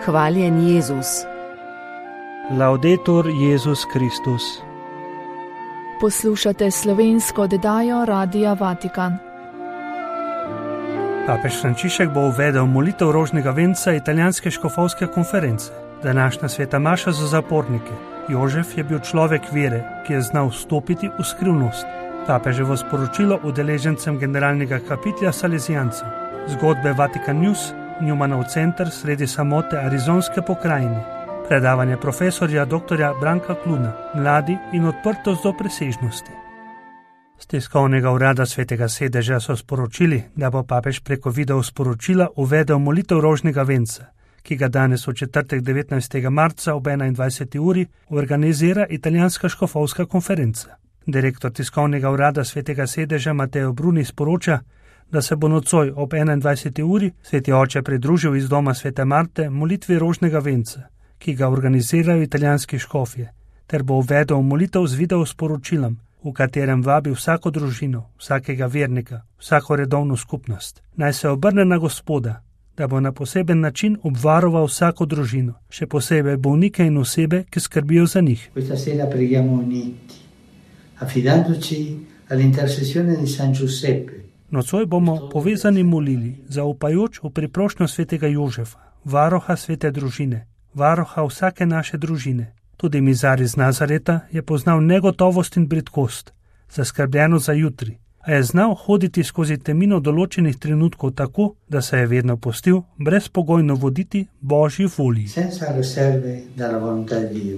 Hvaljen Jezus. Laudetur Jezus Kristus. Poslušate slovensko oddajo Radia Vatikan. Papež Frančišek bo uvedel molitev rožnega venca italijanske škofovske konference. Današnja sveta maša za zapornike. Jožef je bil človek vere, ki je znal vstopiti v skrivnost. Papeževo sporočilo udeležencem generalnega kapitla Salezijancev. Zgodbe Vatikan News, Newmanov center sredi samote arizonske pokrajine. Predavanje profesorja dr. Branka Kluna, mladi in odprtost do presežnosti. Z tiskovnega urada Svetega sedeža so sporočili, da bo papež preko video sporočila uvedel molitev rožnega venca, ki ga danes v četrtek 19. marca ob 21. uri organizira italijanska škofovska konferenca. Direktor tiskovnega urada Svetega sedeža Mateo Bruni sporoča, da se bo nocoj ob 21. uri sveti oče pridružil iz doma svete Marte molitvi rožnega venca, ki ga organizirajo italijanski škofje, ter bo uvedel molitev z video sporočilom, v katerem vabi vsako družino, vsakega vernika, vsako redovno skupnost. Naj se obrne na Gospoda, da bo na poseben način obvaroval vsako družino, še posebej bolnike in osebe, ki skrbijo za njih. Questa sera preghiamo uniti, affidandoci all'intercessione di San Giuseppe. Nocoj bomo povezani molili, zaupajoč v priprošnjo svetega Jožefa, varoha svete družine, varoha vsake naše družine. Tudi mizar iz Nazareta je poznal negotovost in bridkost, zaskrbljeno za jutri, a je znal hoditi skozi temino določenih trenutkov tako, da se je vedno pustil brezpogojno voditi Božji volji. Senza riserve dalla volontà di Dio.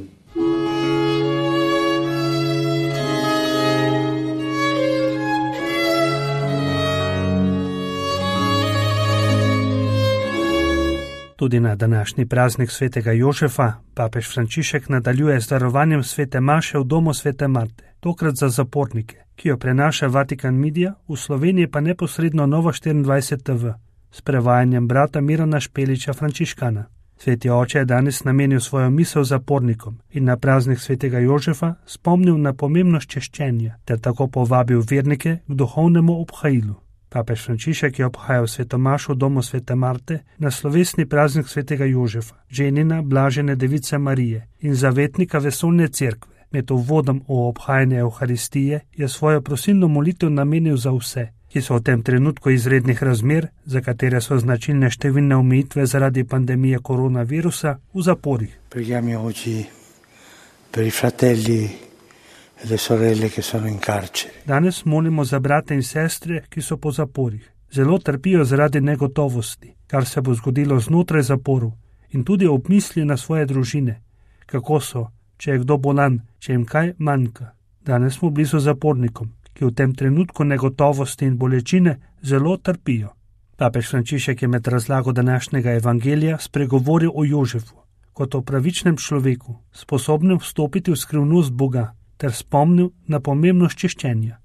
Tudi na današnji praznik svetega Jožefa papež Frančišek nadaljuje z darovanjem svete maše v domu svete Marte, tokrat za zapornike, ki jo prenaša Vatikan Media, v Sloveniji pa neposredno Nova 24 TV, s prevajanjem brata Mirana Špeliča Frančiškana. Sveti oče je danes namenil svojo misel zapornikom in na praznik svetega Jožefa spomnil na pomembnost češčenja, ter tako povabil vernike k duhovnemu obhajilu. Papež Frančišek je obhajal sveto mašo v domu svete Marte na slovesni praznik svetega Jožefa, ženina blažene device Marije in zavetnika vesoljne cerkve. Med uvodom v obhajanje Evharistije je svojo prosilno molitev namenil za vse, ki so v tem trenutku izrednih razmer, za katere so značilne številne omejitve zaradi pandemije koronavirusa, v zaporih. Preghiamo oggi per i fratelli e le sorelle che sono in carcere. Danes molimo za brate in sestre, ki so po zaporih. Zelo trpijo zaradi negotovosti, kar se bo zgodilo znotraj zaporov, in tudi ob misli na svoje družine, kako so, če je kdo bolan, če jim kaj manjka. Danes smo blizu zapornikom, ki v tem trenutku negotovosti in bolečine zelo trpijo. Papež Frančišek je med razlago današnjega evangelija spregovoril o Jožefu, kot o pravičnem človeku, sposobnem vstopiti v skrivnost Boga, ter spomnil na pomembnost čiščenja.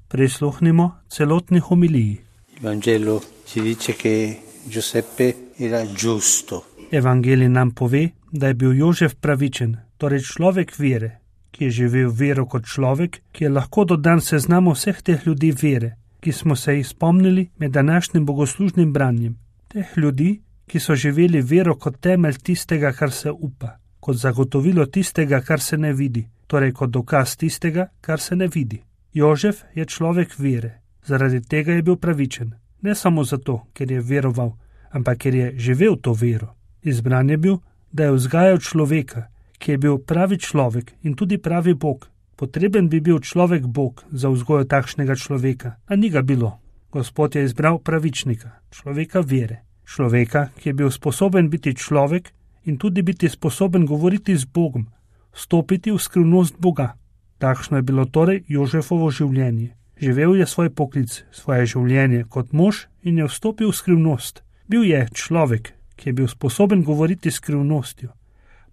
Prisluhnimo celotni homiliji. Evangelo ci dice che Giuseppe era giusto. Evangelij nam pove, da je bil Jožef pravičen, torej človek vere, ki je živel vero kot človek, ki je lahko dodan seznamu vseh teh ljudi vere, ki smo se jih spomnili med današnjim bogoslužnim branjem. Teh ljudi, ki so živeli vero kot temelj tistega, kar se upa, kot zagotovilo tistega, kar se ne vidi, torej kot dokaz tistega, kar se ne vidi. Jožef je človek vere, zaradi tega je bil pravičen, ne samo zato, ker je veroval, ampak ker je živel to vero. Izbran je bil, da je vzgajal človeka, ki je bil pravi človek in tudi pravi Bog. Potreben bi bil človek Bog za vzgojo takšnega človeka, a ni ga bilo. Gospod je izbral pravičnika, človeka vere, človeka, ki je bil sposoben biti človek in tudi biti sposoben govoriti z Bogom, stopiti v skrivnost Boga. Takšno je bilo torej Jožefovo življenje. Živel je svoj poklic, svoje življenje kot mož in je vstopil v skrivnost. Bil je človek, ki je bil sposoben govoriti s skrivnostjo,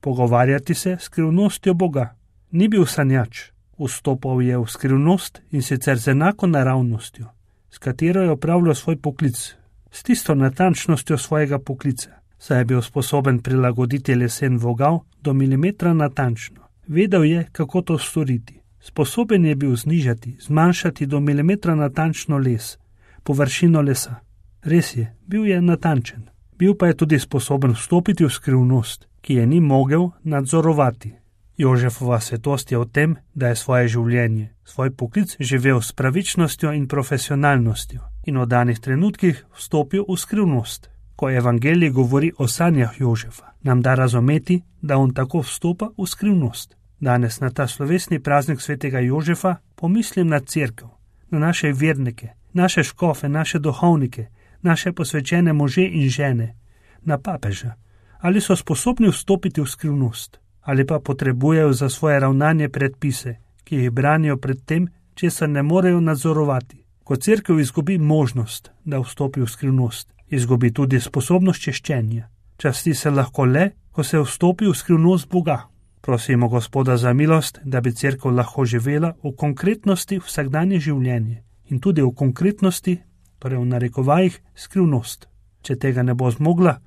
pogovarjati se s skrivnostjo Boga. Ni bil sanjač, vstopal je v skrivnost in sicer z enako naravnostjo, s katero je opravljal svoj poklic, s tisto natančnostjo svojega poklica, saj je bil sposoben prilagoditi lesen vogal do milimetra natančno. Vedel je, kako to storiti. Sposoben je bil znižati, zmanjšati do milimetra natančno les, površino lesa. Res je, bil je natančen. Bil pa je tudi sposoben vstopiti v skrivnost, ki je ni mogel nadzorovati. Jožefova svetost je v tem, da je svoje življenje, svoj poklic živel s pravičnostjo in profesionalnostjo in v danih trenutkih vstopil v skrivnost. Ko evangelij govori o sanjah Jožefa, nam da razumeti, da on tako vstopa v skrivnost. Danes na ta slovesni praznik svetega Jožefa pomislim na cerkev, na naše vernike, naše škofe, naše duhovnike, naše posvečene može in žene, na papeža. Ali so sposobni vstopiti v skrivnost, ali pa potrebujejo za svoje ravnanje predpise, ki jih branijo pred tem, česar ne morejo nadzorovati. Ko cerkev izgubi možnost, da vstopi v skrivnost, izgubi tudi sposobnost češčenja. Časti se lahko le, ko se vstopi v skrivnost Boga. Prosimo Gospoda za milost, da bi cerkev lahko živela v konkretnosti vsakdanje življenje in tudi v konkretnosti, torej v narekovajih, skrivnost. Če tega ne bo zmogla,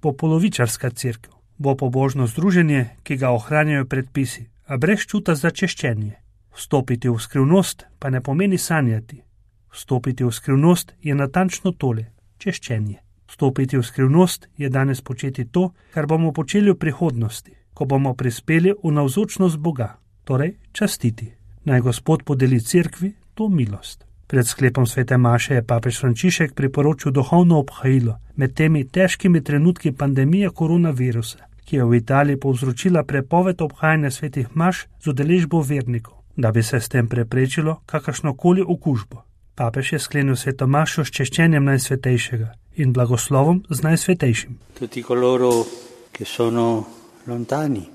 bo polovičarska cerkev, bo pobožno združenje, ki ga ohranjajo predpisi, a brez čuta za češčenje. Vstopiti v skrivnost pa ne pomeni sanjati. Vstopiti v skrivnost je natančno tole, češčenje. Vstopiti v skrivnost je danes početi to, kar bomo počeli v prihodnosti, ko bomo prispeli v navzočnost Boga, torej častiti. Naj Gospod podeli cerkvi to milost. Pred sklepom svete maše je papež Frančišek priporočil duhovno obhajilo med temi težkimi trenutki pandemije koronavirusa, ki je v Italiji povzročila prepoved obhajanja svetih maš z udeležbo vernikov, da bi se s tem preprečilo kakršnokoli okužbo. Papež je sklenil sveto mašo s češčenjem Najsvetejšega in blagoslovom z Najsvetejšim. Tutti coloro che sono lontani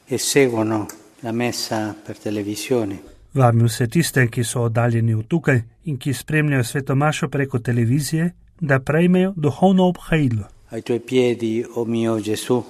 e seguono la messa per televisione. Vabim vse tiste, ki so oddaljeni od tukaj in ki spremljajo sveto mašo preko televizije, da prejmejo duhovno obhajilo. Ai tuoi piedi, o mio Gesù,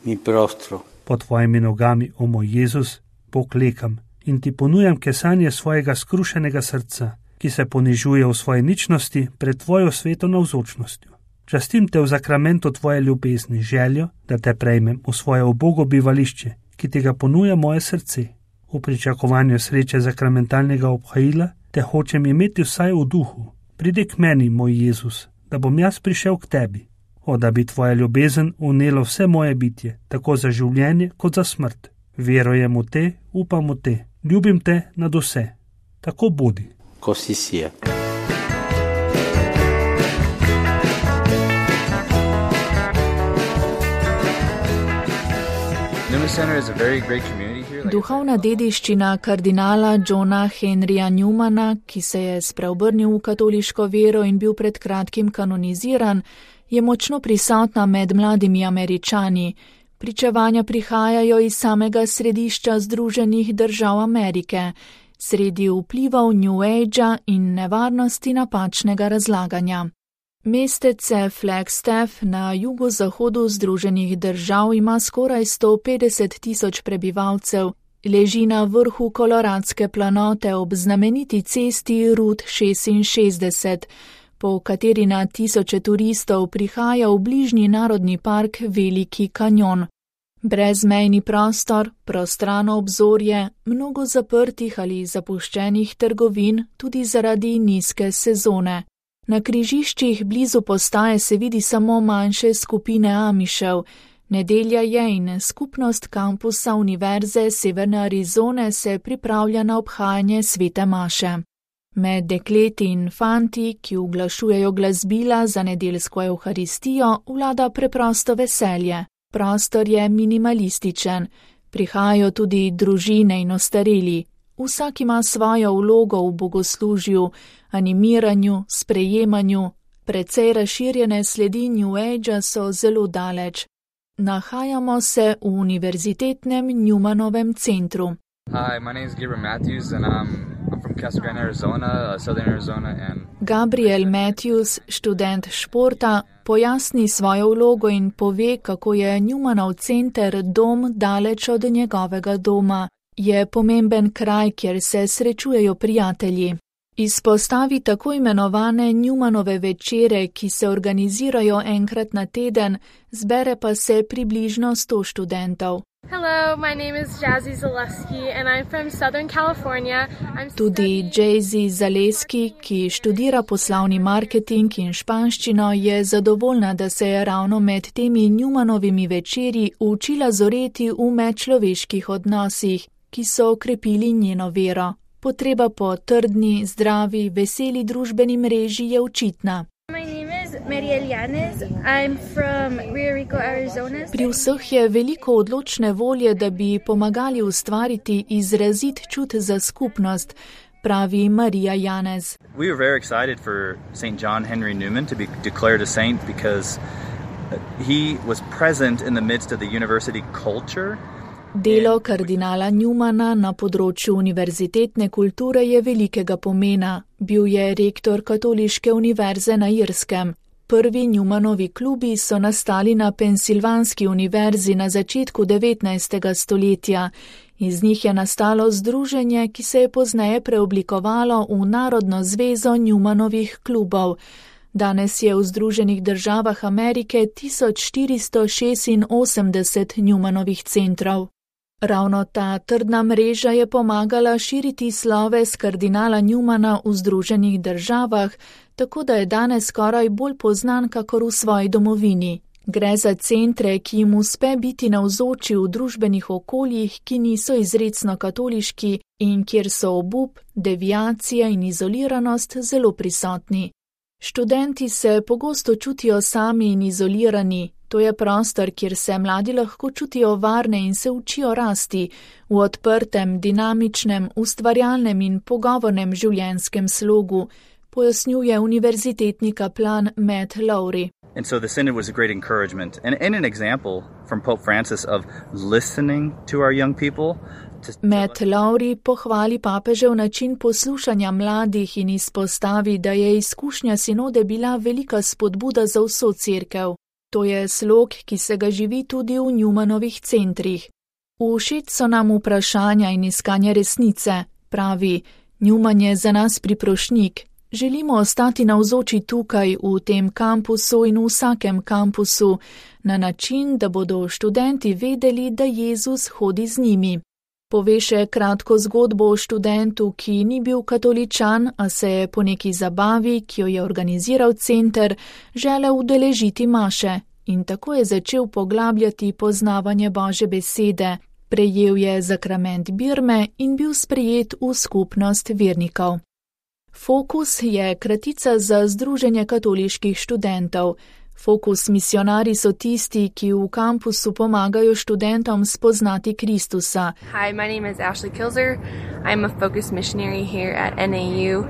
mi prostro. Pod tvojimi nogami, o moj Jezus, poklekam in ti ponujam kesanje svojega skrušenega srca, ki se ponižuje v svoji ničnosti pred tvojo sveto navzočnostjo. Častim te v zakramentu tvoje ljubezni, željo, da te prejmem v svoje ubogo bivališče, ki ti ga ponuja moje srce. V pričakovanju sreče zakramentalnega obhajila te hočem imeti vsaj v duhu. Pridi k meni, moj Jezus, da bom jaz prišel k tebi. O, da bi tvoja ljubezen unelo vse moje bitje, tako za življenje kot za smrt. Verujem v te, upam v te, ljubim te nad vse. Tako bodi. Così sia. Duhovna dediščina kardinala Johna Henryja Newmana, ki se je spreobrnil v katoliško vero in bil pred kratkim kanoniziran, je močno prisotna med mladimi Američani. Pričevanja prihajajo iz samega središča Združenih držav Amerike, sredi vplivov New Agea in nevarnosti napačnega razlaganja. Mestece Flagstaff na jugozahodu Združenih držav ima skoraj 150.000 prebivalcev, leži na vrhu Koloradske planote ob znameniti cesti Route 66, po kateri na tisoče turistov prihaja v bližnji narodni park Veliki kanjon. Brezmejni prostor, prostrano obzorje, mnogo zaprtih ali zapuščenih trgovin tudi zaradi nizke sezone. Na križiščih blizu postaje se vidi samo manjše skupine Amišev. Nedelja je in skupnost kampusa Univerze Severne Arizone se pripravlja na obhajanje svete maše. Med dekleti in fanti, ki uglašujejo glasbila za nedeljsko evharistijo, vlada preprosto veselje. Prostor je minimalističen, prihajajo tudi družine in ostareli. Vsak ima svojo vlogo v bogoslužju, animiranju, sprejemanju. Precej razširjene sledi New Agea so zelo daleč. Nahajamo se v univerzitetnem Newmanovem centru. Hi, my name is Gabriel Matthews and I'm from Casa Grande, Arizona, Southern Arizona. Gabriel Matthews, študent športa, pojasni svojo vlogo in pove, kako je Newmanov center dom daleč od njegovega doma. Je pomemben kraj, kjer se srečujejo prijatelji. Izpostavi tako imenovane Newmanove večere, ki se organizirajo enkrat na teden, zbere pa se približno 100 študentov. Hello, my name is Jazzy Zaleski and I'm from Southern California. Tudi Jazzy Zaleski, ki študira poslovni marketing in španščino, je zadovoljna, da se je ravno med temi Newmanovimi večeri učila zoreti v medčloveških odnosih, ki so okrepili njeno vero. Potreba po trdni, zdravi, veseli družbeni mreži je očitna. Pri vseh je veliko odločne volje, da bi pomagali ustvariti izrazit čut za skupnost, pravi Marija Janez. We were very excited for St. John Henry Newman to be declared a saint because he was present in the midst of the university culture. Delo kardinala Newmana na področju univerzitetne kulture je velikega pomena. Bil je rektor Katoliške univerze na Irskem. Prvi Newmanovi klubi so nastali na Pensilvanski univerzi na začetku 19. stoletja. Iz njih je nastalo združenje, ki se je pozneje preoblikovalo v Narodno zvezo Newmanovih klubov. Danes je v Združenih državah Amerike 1486 Newmanovih centrov. Ravno ta trdna mreža je pomagala širiti sloves kardinala Newmana v Združenih državah, tako da je danes skoraj bolj poznan kakor v svoji domovini. Gre za centre, ki jim uspe biti navzoči v družbenih okoljih, ki niso izrecno katoliški in kjer so obup, deviacija in izoliranost zelo prisotni. Študenti se pogosto čutijo sami in izolirani. To je prostor, kjer se mladi lahko čutijo varne in se učijo rasti v odprtem, dinamičnem, ustvarjalnem in pogovornem življenjskem slogu, pojasnjuje univerzitetni kaplan Matt Lowry. And so the synod was a great encouragement and an example from Pope Francis of listening to our young people. Matt Lowry pohvali papežev način poslušanja mladih in izpostavi, da je izkušnja sinode bila velika spodbuda za vso cerkev. To je slog, ki se ga živi tudi v Newmanovih centrih. Všeč so nam vprašanja in iskanje resnice, pravi. Newman je za nas priprošnjik. Želimo ostati navzoči tukaj, v tem kampusu in v vsakem kampusu, na način, da bodo študenti vedeli, da Jezus hodi z njimi. Pove še kratko zgodbo o študentu, ki ni bil katoličan, a se je po neki zabavi, ki jo je organiziral center, želel udeležiti maše in tako je začel poglabljati poznavanje Božje besede. Prejel je zakrament birme in bil sprejet v skupnost vernikov. Fokus je kratica za Združenje katoliških študentov. Fokus misionari so tisti, ki v kampusu pomagajo študentom spoznati Kristusa. Hi, my name is Ashley Kilzer. I'm a Focus missionary here at NAU.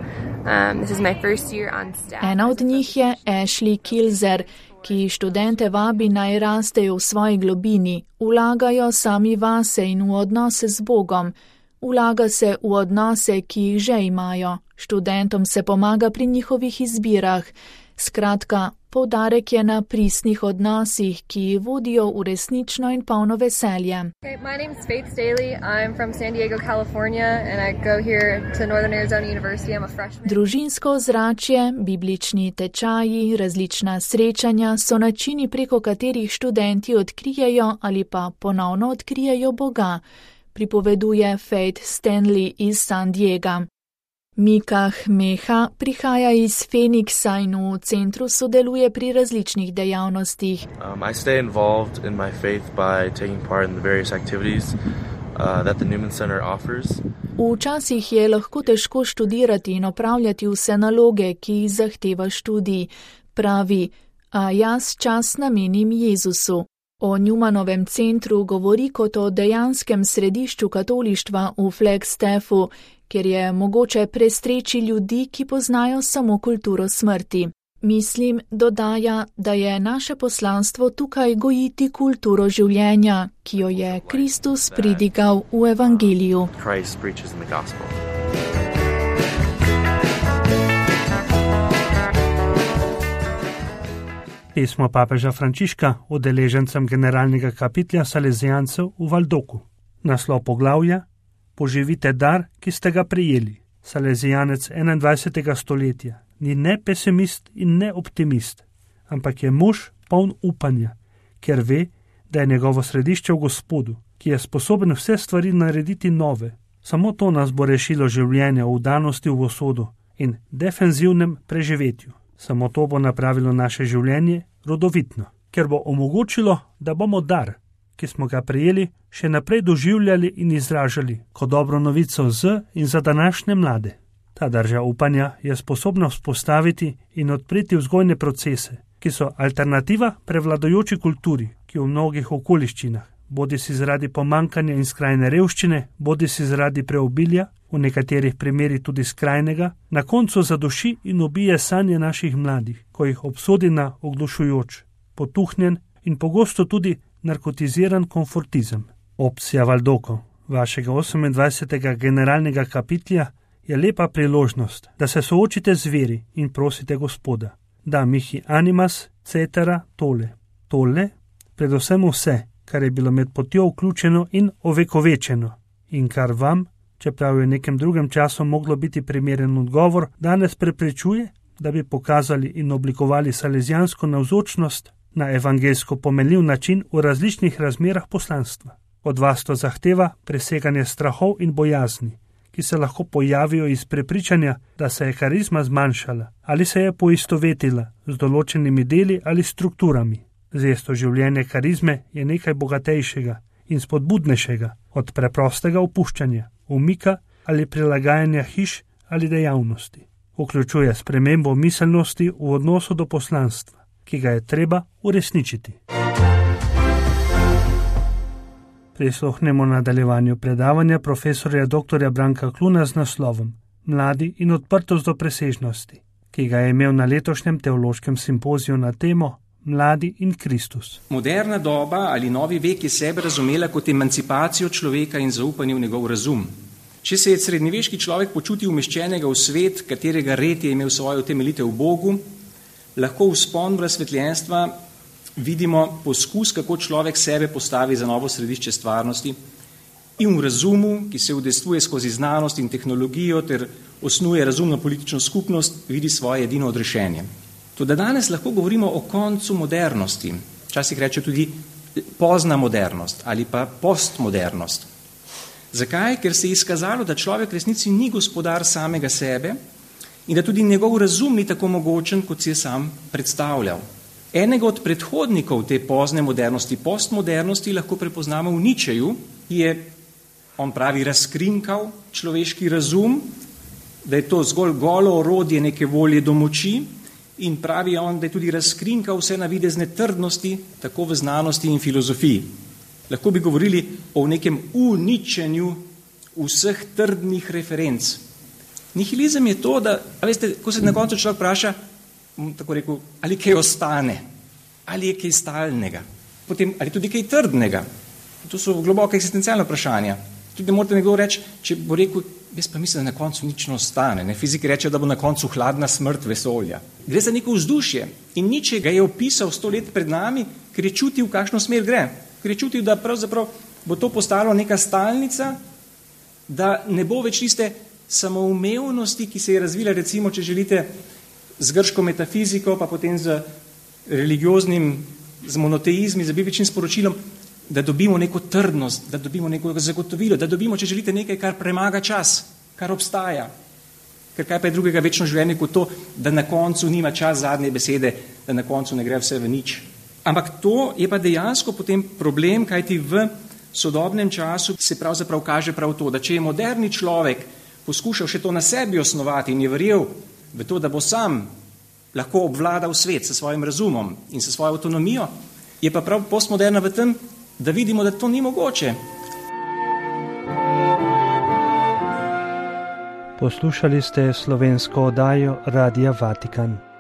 This is my first year on staff. Ena od njih je Ashley Kilzer, ki študente vabi naj rastejo v svoji globini, vlagajo sami vase in v odnose z Bogom. Vlaga se v odnose, ki jih že imajo. Študentom se pomaga pri njihovih izbirah. Skratka, poudarek je na pristnih odnosih, ki vodijo v resnično in polno veselje. My name is Faith Staley. I'm from San Diego, California and I go here to Northern Arizona University. I'm a freshman. Družinsko ozračje, biblični tečaji, različna srečanja so načini, preko katerih študenti odkrijejo ali pa ponovno odkrijejo Boga, pripoveduje Faith Stanley iz San Diega. Mika Hmeha prihaja iz Phoenixa in v centru sodeluje pri različnih dejavnostih. I stay involved in my faith by taking part in the various activities that the Newman Center offers. Včasih je lahko težko študirati in opravljati vse naloge, ki jih zahteva študij, pravi, a jaz čas namenim Jezusu. O Newmanovem centru govori kot o dejanskem središču katolištva v Flagstaffu, kjer je mogoče prestreči ljudi, ki poznajo samo kulturo smrti. Mislim, dodaja, da je naše poslanstvo tukaj gojiti kulturo življenja, ki jo je Kristus pridigal v evangeliju. Pismo papeža Frančiška udeležencem generalnega kapitlja Salezijancev v Valdoku. Naslov poglavja: Poživite dar, ki ste ga prejeli. Salezijanec 21. stoletja ni ne pesimist in ne optimist, ampak je mož poln upanja, ker ve, da je njegovo središče v Gospodu ki je sposoben vse stvari narediti nove. Samo to nas bo rešilo življenja v vdanosti v usodo in defenzivnem preživetju. Samo to bo napravilo naše življenje rodovitno, ker bo omogočilo, da bomo dar, ki smo ga prejeli, še naprej doživljali in izražali kot dobro novico in za današnje mlade. Ta drža upanja je sposobna vzpostaviti in odpreti vzgojne procese, ki so alternativa prevladujoči kulturi, ki v mnogih okoliščinah, bodisi zaradi pomankanja in skrajne revščine, bodisi zaradi preobilja, v nekaterih primerih tudi skrajnega, na koncu zaduši in ubije sanje naših mladih, ko jih obsodi na oglušujoč, potuhnjen in pogosto tudi narkotiziran konfortizem. Opcija Valdoko, vašega 28. generalnega kapitlja, je lepa priložnost, da se soočite z veri in prosite Gospoda, da mihi animas cetera tole. Tole, predvsem vse, kar je bilo med potjo vključeno in ovekovečeno in kar vam, čeprav je v nekem drugem času moglo biti primeren odgovor, danes preprečuje, da bi pokazali in oblikovali salezijansko navzočnost na evangelsko pomenljiv način v različnih razmerah poslanstva. Od vas to zahteva preseganje strahov in bojazni, ki se lahko pojavijo iz prepričanja, da se je karizma zmanjšala ali se je poistovetila z določenimi deli ali strukturami. Zesto življenje karizme je nekaj bogatejšega in spodbudnejšega od preprostega opuščanja, umika ali prilagajanja hiš ali dejavnosti. Vključuje spremembo miselnosti v odnosu do poslanstva, ki ga je treba uresničiti. Prisluhnemo nadaljevanju predavanja profesorja dr. Branka Kluna z naslovom Mladi in odprtost do presežnosti, ki ga je imel na letošnjem teološkem simpoziju na temo Mladi in Kristus. Moderna doba ali novi vek je sebe razumela kot emancipacijo človeka in zaupanje v njegov razum. Če se je srednjeveški človek počutil umeščenega v svet, katerega red je imel svojo utemeljitev v Bogu, lahko v vzpon razsvetljenstva vidimo poskus, kako človek sebe postavi za novo središče stvarnosti in v razumu, ki se udejstvuje skozi znanost in tehnologijo ter osnuje razumno politično skupnost, vidi svoje edino odrešenje. Toda danes lahko govorimo o koncu modernosti, včasih reče tudi pozna modernost ali pa postmodernost. Zakaj? Ker se je izkazalo, da človek v resnici ni gospodar samega sebe in da tudi njegov razum ni tako mogočen, kot si je sam predstavljal. Enega od predhodnikov te pozne modernosti, postmodernosti, lahko prepoznamo v Nietzscheju, ki je, on pravi, razkrinkal človeški razum, da je to zgolj golo orodje neke volje do moči in pravi on, da je tudi razkrinkal vse navidezne trdnosti, tako v znanosti in filozofiji. Lahko bi govorili o nekem uničenju vseh trdnih referenc. Nihilizem je to, da, veste, ko se na koncu človek vpraša, tako rekel, ali kaj ostane, ali je kaj stalnega, potem ali tudi kaj trdnega. To so globoka eksistencialna vprašanja. Tudi ne morate nekdo reči, če bo rekel, jaz pa mislim, da na koncu nič ne ostane. Fiziki reče, da bo na koncu hladna smrt vesolja. Gre za neko vzdušje in Nietzsche ga je opisal 100 let pred nami, ker je čutil, v kakšno smer gre. Ker je čutil, da pravzaprav bo to postalo neka stalnica, da ne bo več tiste samoumevnosti, ki se je razvila, recimo, če želite, z grško metafiziko, pa potem z religioznim, z monoteizmi, z bibličnim sporočilom, da dobimo neko trdnost, da dobimo neko zagotovilo, da dobimo, če želite, nekaj, kar premaga čas, kar obstaja. Ker kaj pa je drugega večno življenje kot to, da na koncu nima čas zadnje besede, da na koncu ne gre vse v nič. Ampak to je pa dejansko potem problem, kajti v sodobnem času se pravzaprav kaže prav to, da če je moderni človek poskušal še to na sebi osnovati in je verjel v to, da bo sam lahko obvladal svet s svojim razumom in s svojo avtonomijo, je pa prav postmoderna v tem, da vidimo, da to ni mogoče. Poslušali ste slovensko oddajo Radia Vatikan.